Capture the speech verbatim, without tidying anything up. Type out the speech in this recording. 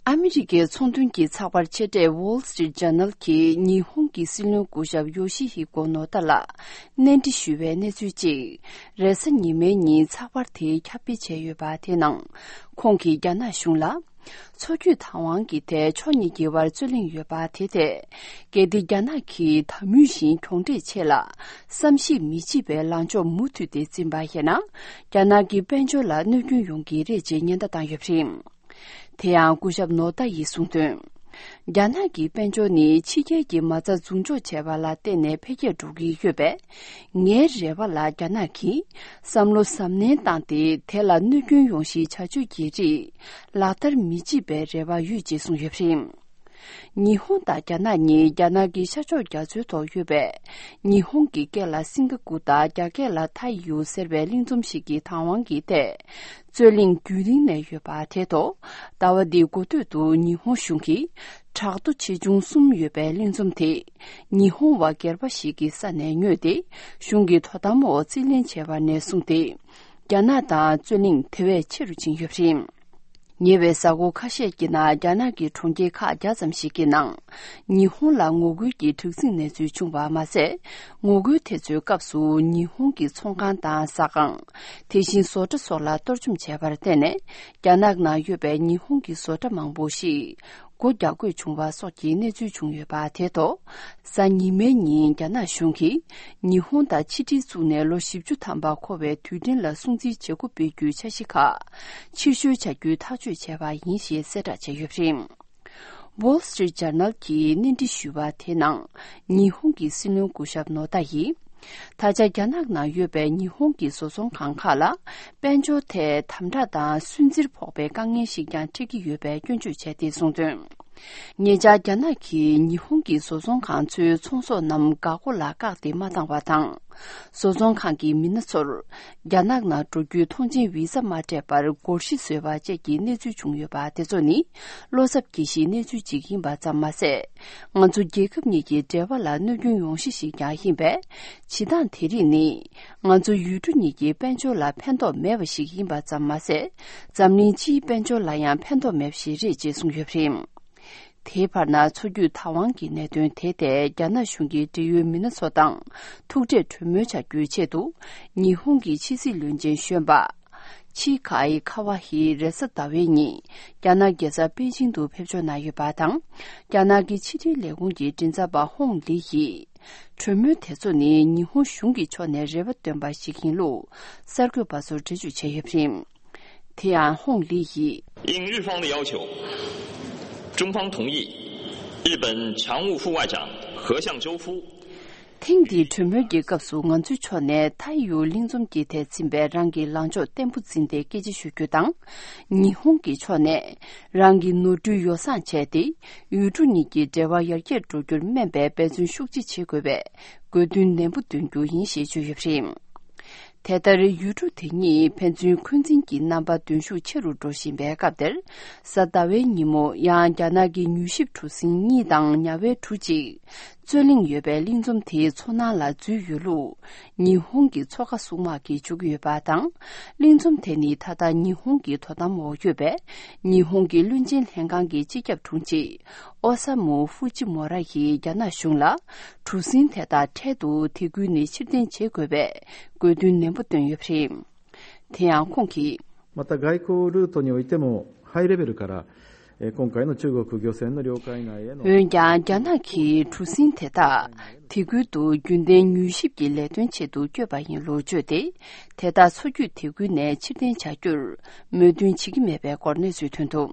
ཨ་མི་རི་ཀའི་ཚོང་དོན་གྱི་ཚགས་པར་ཆེ་གྲས་Wall Street Journal གྱིས་ཉི་ཧོང་གི་སྲིད་བློན་སྐུ་ཞབས་ཡོ་ཤི་ཧི་ཀོ་ནོ་ཏ་ལ་གནས་འདྲི་ཞུས་པའི་གནས་ཚུལ་གཅིག་རེས་གཟའ་ཉི་མའི་ཉིན་ཚགས་པར་དེས་ཁྱབ་སྤེལ་བྱས་ཡོད་པ་དེའི་ནང་། ཁོང་གིས་རྒྱ་ནག་གཞུང་ལ། མཚོ་རྒྱུད་བདག་དབང་གི་ཐད་ཕྱོགས་གཉིས་ཀྱི་བར་རྩོད་གླེང་ཡོད་པ་དེ་ཐད། གལ་ཏེ་རྒྱ་ནག་གིས་ད་མུས་བཞིན་གྱོང་འཕྲད་ཆེད་ལ་བསམ་གཞིག་མི་བྱེད་པའི་ལངས་ཕྱོགས་མུ་མཐུད་དེ་འཛིན་པ་ཡིན་ན། རྒྱ་ནག་གི་དཔལ་འབྱོར་ལ་གནོད་སྐྱོན་ཡོང་གི་རེད་ཅེས་ཉེན་བརྡ་བཏང་ཡོད་པ་རེད། དེ་ཡང་སྐུ་ཞབས་ནོ་ཏ་ཡིས་གསུངས་དོན། རྒྱ་ནག་གི་དཔལ་འབྱོར་ནི་ཕྱི་རྒྱལ་གྱི་མ་རྩ་འཛུགས་འཇོག་བྱས་པ་ལ་བརྟེན་ནས་འཕེལ་རྒྱས་འགྲོ་གི་ཡོད་པས། ངའི་རེ་བ་ལ་རྒྱ་ནག་གིས་བསམ་བློ་གཟབ་ནན་བཏང་སྟེ། དེ་ལ་གནོད་སྐྱོན་ཡོང་གཞིའི་བྱ་སྤྱོད་ཀྱི་རིགས་ལག་བསྟར་མི་བྱེད་པའི་རེ་བ་ཡོད་ཅེས་གསུངས་ཡོད་པ་རེད། ཉི་ཧོང་དང་རྒྱ་ནག་གཉིས་རྒྱ་ནག་གི་ཤར་ཕྱོགས་རྒྱ་མཚོའི་ཐོག་ཡོད་པའི། ཉི་ཧོང་གི་སྐད་ལ་སིང་ག་ཀུ་དང་རྒྱ་སྐད་ལ་ཐའི་ཡུ་ཟེར་བའི་གླིང་ཚོམ་ཞིག་གི་བདག་དབང་གི་ཐད། རྩོད་གླེང་རྒྱུན་རིང་ནས་ཡོད་པ་དེ་ཐོག་ཟླ་བ་འདིའི་འགོ་སྟོད་དུ་ཉི་ཧོང་གཞུང་གིས་བྲག་རྡོ་ཆེ་ཆུང་གསུམ་ཡོད་པའི་གླིང་ཚོམ་དེ། ཉི་ཧོང་བ་སྒེར་པ་ཞིག་གི་ས་ནས་ཉོས་ཏེ། གཞུང་གི་དོ་དམ་འོག་རྩིས་ལེན་བྱས་པ་ནས་བཟུང་སྟེ། རྒྱ་ནག་དང་རྩོད་གླེང་དེ་བས་ཆེ་རུ་ཕྱིན་ཡོད་པ་རེད། ཉེ་བའི་གཟའ་འཁོར་ཁ་ཤས་ཀྱི་ནང་རྒྱ་ནག་གི་གྲོང་ཁྱེར་ཁག་བརྒྱ་ཙམ་ཞིག་གི་ནང་། ཉི་ཧོང་ལ་ངོ་རྒོལ་གྱི་དྲག་ཟིང་གནས་ཚུལ་བྱུང་བ་མ་ཟད། ངོ་རྒོལ་དེ་ཚོའི་སྐབས་སུ་ཉི་ཧོང་གི་ཚོང་ཁང་དང་ཟ་ཁང་། དེ་བཞིན་བཟོ་གྲྭ་སོགས་ལ་གཏོར་བཅོམ་བྱས་པར་བརྟེན་ནས། རྒྱ་ནག་ནང་ཡོད་པའི་ཉི་ཧོང་གི་བཟོ་གྲྭ་མང་པོ་ཞིག་སྒོ་རྒྱག་དགོས་བྱུང་བ་སོགས་ཀྱི་གནས་ཚུལ་བྱུང་ཡོད་པ་དེ་ཐོག་གཟའ་ཉི་མའི་ཉིན་རྒྱ་ནག་གཞུང་གིས་ཉི་ཧོང་དང་ཕྱི་འབྲེལ་བཙུགས་ནས་ལོ་བཞི་བཅུ་ཐམ་པ་འཁོར་བའི་དུས་དྲན་ལ་སྲུང་བརྩི་བྱེད་སྒོ་སྤེལ་རྒྱུའི་འཆར་གཞི་ཁག་ཕྱིར་བཤོལ་བྱ་རྒྱུའི་ཐག་གཅོད་བྱས་པ་ཡིན་ཞེས་གསལ་བསྒྲགས་བྱས་ཡོད་པ་རེད། Wall Street Journal གྱིས་གནས་འདྲི་ཞུས་པ་དེའི་ནང་། ཉི་ཧོང་གི་སྲིད་བློན་སྐུ་ཞབས་ནོ་ཏ་ཡིས། ད་ཆ་རྒྱ་ནག་ནང་ཡོད་པའི་ཉི་ཧོང་གི་བཟོ་ཚོང་ཁང་ཁག་ལ། དཔལ་འབྱོར་ཐད་དམ་དྲག་དང་སུན་གཙེར་ཕོག་པའི་དཀའ་ངལ་ཞིག་ཀྱང་འཕྲད་ཀྱི་ཡོད་པའི་སྐྱོན་བརྗོད་བྱས་ཏེ་གསུངས་དོན། ཉེ་ཆར་རྒྱ་ནག་གིས་ཉི་ཧོང་གི་བཟོ་ཚོང་ཁང་ཚོའི་ཚོང་ཟོག་རྣམས་འགག་སྒོ་ལ་བཀག་སྟེ་མ་བཏང་བ་དང་། བཟོ་ཚོང་ཁང་གི་མི་སྣ་ཚོར། རྒྱ་ནག་ནང་འགྲོ་རྒྱུའི་ཐོངས་མཆན་བི་ཟ་མ་སྤྲད་པར་སྒོར་གཞི་བཟོས་པ་བཅས་ཀྱི་གནས་ཚུལ་བྱུང་ཡོད་པ་དེ་ཚོ་ནི། བློ་འཚབ་སྐྱེ་གཞིའི་གནས་ཚུལ་ཅིག་ཡིན་པ་ཙམ་མ་ཟད། ང་ཚོ་རྒྱལ་ཁབ་གཉིས་ཀྱི་འབྲེལ་བ་ལ་གནོད་སྐྱོན་ཡོང་གཞི་ཞིག་ཀྱང་ཡིན་པས། བྱེད་སྟངས་དེ་རིགས་ནི། ང་ཚོ་ཡུལ་གྲུ་གཉིས་ཀྱི་དཔལ་འབྱོར་ལ་ཕན་ཐོགས་མེད་པ་ཞིག་ཡིན་པ་ཙམ་མ་ཟད། འཛམ་གླིང་སྤྱིའི་དཔལ་འབྱོར་ལ་ཡང་ཕན་ཐོགས་མེད་པ་ཞིག་རེད་ཅེས་གསུངས་ཡོད་པ་རེད། དེའི་བར་ན། མཚོ་རྒྱུད་བདག་དབང་གི་གནད་དོན་དེ་ཐད་རྒྱ་ནག་གཞུང་གི་འབྲེལ་ཡོད་མི་སྣ་ཚོ་དང་ཐུག་འཕྲད་གྲོས་མོལ་བྱ་རྒྱུའི་ཆེད་དུ། ཉི་ཧོང་གི་ཕྱི་སྲིད་བློན་ཆེན་གཞོན་པ། ཆི་ཁའི་ཁ་ཝ་ཧི་རེས་གཟའ་ཟླ་བའི་ཉིན། རྒྱ་ནག་རྒྱལ་ས་པེ་ཅིང་དུ་ཕེབས་འབྱོར་གནང་ཡོད་པ་དང་། རྒྱ་ནག་གི་ཕྱི་འབྲེལ་ལས་ཁུངས་ཀྱི་མགྲིན་ཚབ་པ་ཧོང་ལི་ཡིས། གྲོས་མོལ་དེ་ཚོ་ནི་ཉི་ཧོང་གཞུང་གི་ཕྱོགས་ནས་རེ་བ་བཏོན་པ་ཞིག་ཡིན་ལུགས། གསར་འགོད་པ་ཚོར་འགྲེལ་བརྗོད་བྱས་ཡོད་པ་རེད། དེ་ཡང་ཧོང་ལི་ཡིས། 应日方的要求，中方同意日本常务副外长河相周夫。 ཐེངས་འདིའི་གྲོས་མོལ་གྱི་སྐབས་སུ། ང་ཚོའི་ཕྱོགས་ནས་མཐའ་ཡུལ་གླིང་ཚོམ་གྱི་ཐད་ཕྱིན་པའི་རང་གི་ལངས་ཕྱོགས་བརྟན་པོ་འཛིན་ཏེ་སྐད་ཆ་ཞུ་རྒྱུ་དང་། ཉི་ཧོང་གི་ཕྱོགས་ནས་རང་གི་ནོར་འཁྲུལ་ཡོ་བསྲང་བྱས་ཏེ། ཡུལ་གྲུ་གཉིས་ཀྱི་འབྲེལ་བ་ཡར་རྒྱས་འགྲོ་རྒྱུར་སྨན་པའི་འབད་བརྩོན་ཤུགས་ཆེ་བྱེད་དགོས་པའི་དགོས་འདུན་ནན་པོ་འདོན་རྒྱུ་ཡིན་ཞེས་བརྗོད་ཡོད་པ་རེད། དེ་ལྟར་ཡུལ་གྲུ་དེ་གཉིས་ཕན་ཚུན་འཁོན་འཛིན་གྱི་རྣམ་པ་འདོན་ཤུགས་ཆེ་རུ་འགྲོ་བཞིན་པའི་སྐབས་དེར། གཟའ་ཟླ་བའི་ཉིན་མོ་ཡང་རྒྱ་ནག་གི་མྱུལ་ཞིབ་གྲུ་གཟིངས་གཉིས་དང་ཉ་ཝའི་གྲུ་གཅིག་རྩོད་གླེང་ཡོད་པའི་གླིང་ཚོམ་དེའི་མཚོ་ནང་ལ་འཛུལ་ཡོད་ལུགས། ཉི་ཧོང་གི་མཚོ་ཁ་སྲུང་དམག་གིས་བརྗོད་ཀྱི་ཡོད་པ་དང་། གླིང་ཚོམ་དེ་ནི་ད་ལྟ་ཉི་ཧོང་གི་དོ་དམ་འོག་ཡོད་པས། ཉི་ཧོང་གི་བློན་ཆེན་ལྷན་ཁང་གི་སྤྱི་ཁྱབ་དྲུང་ཆེ། ཨོ་ས་མུ་ཧྥུ་ཅི་མོ་ར་ཡིས་རྒྱ་ནག་གཞུང་ལ། གྲུ་གཟིངས་དེ་དག་འཕྲལ་དུ་དེ་ཁུལ་ནས་ཕྱིར་འཐེན་བྱེད་དགོས་པའི་དགོས་འདུན་ནན་པོ་བཏོན་ཡོད་པ་རེད། དེ་ཡང་ཁོང་གིས། また、外交ルートにおいても、ハイレベルから、えー今回の中国漁船の領海内への འོན་ཀྱང་། རྒྱ་ནག་གིས་གྲུ་གཟིངས་དེ་དག་དེ་ཁུལ་དུ་རྒྱུན་ལྡན་མྱུལ་ཞིབ་ཀྱི་ལས་དོན་ཆེད་དུ་བསྐྱོད་པ་ཡིན་ལུགས་བརྗོད་དེ། དེ་དག་མཚོ་རྒྱུད་དེ་ཁུལ་ནས་ཕྱིར་འཐེན་བྱ་རྒྱུར་མོས་མཐུན་བྱེད་ཀྱི་མེད་པའི་སྐོར་གནས་ཚུལ་ཐོན་འདུག